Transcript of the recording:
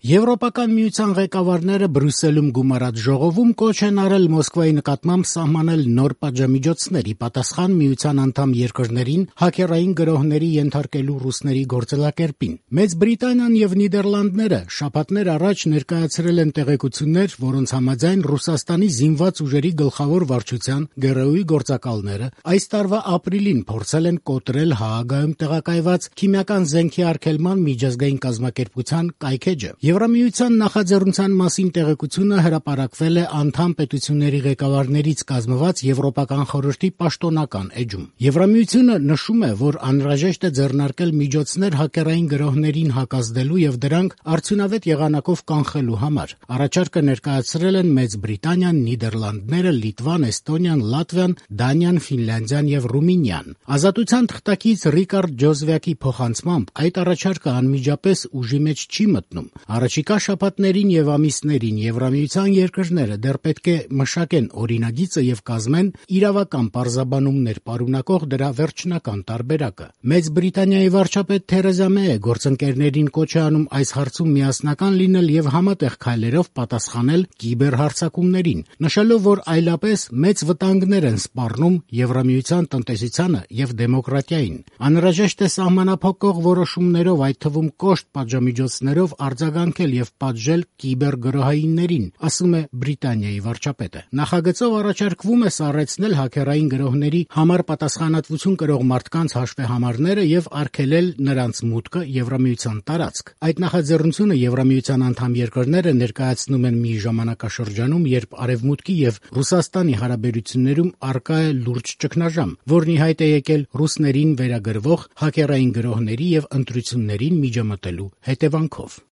Եվրոպական միության ղեկավարները Բրյուսելում գումարած ժողովում կոչ են արել Մոսկվայի նկատմամբ սահմանել նոր պատժամիջոցներ՝ ի պատասխան միության անդամ երկրներին հաքերային գրոհների ենթարկելու ռուսների գործելակերպին։ Մեծ Բրիտանիան եւ Նիդերլանդները շաբաթներ առաջ ներկայացրել են տեղեկություններ, որոնց համաձայն Ռուսաստանի զինված ուժերի գլխավոր վարչության ԳՌՈ-ի գործակալները այս տարվա ապրիլին փորձել են կոտրել Հաագայում տեղակայված քիմիական զենքի արգելման միջազգային կազմակերպության կայքէջը։ Եվրամիության նախաձեռնության մասին տեղեկությունը հրապարակվել է անդամ պետությունների ղեկավարներից կազմված Եվրոպական խորհրդի պաշտոնական էջում։ Եվրամիությունը նշում է, որ անհրաժեշտ է ձեռնարկել միջոցներ հաքերային գրոհներին հակազդելու եւ դրանք արդյունավետ եղանակով կանխելու համար։ Առաջարկը ներկայացրել են Մեծ Բրիտանիան, Նիդերլանդները, Լիտվան, Էստոնիան, Լատվիան, Դանիան, Ֆինլանդիան եւ Ռումինիան։ Ազատության թղթակից Ռիկարդ Ջոզվյակի փոխանցմամբ այդ առաջարկը անմիջապես ուժի մեջ չի մտնում։ Առաջիկա շաբաթներին եւ ամիսներին Եվրամիության երկրները դեռ պետք է մշակեն օրինագիծը եւ կազմեն իրավական պարզաբանումներ պարունակող դրա վերջնական տարբերակը։ Մեծ Բրիտանիայի վարչապետ Թերեզա Մեյը գործընկերներին կոչ է անում այս հարցում միասնական լինել եւ համատեղ քայլերով պատասխանել կիբերհարձակումներին, նշելով, որ այլապես մեծ վտանգներ են սպառնում Եվրամիության տնտեսությանը եւ դեմոկրատիային։ Անհրաժեշտ է սահմանափակող որոշումներով, այդ թվում կոշտ պատժամիջոցներով արձագանքել եւ պատժել կիբերգրոհայիններին, ասում է Բրիտանիայի վարչապետը։ Նախագծով առաջարկվում է սառեցնել հաքերային գրոհների համար պատասխանատվություն կրող մարդկանց հաշվեհամարները եւ արգելել նրանց մուտքը Եվրամիության տարածք։ Այդ նախաձեռնությունը Եվրամիության անդամ երկրները ներկայացնում են մի ժամանակաշրջանում, երբ Արևմուտքի եւ Ռուսաստանի հարաբերություններում առկա է լուրջ ճգնաժամ, որն ի հայտ է եկել ռուսներին վերագրվող հաքերային գրոհների եւ ընտրություններին միջամտելու հետևանքով։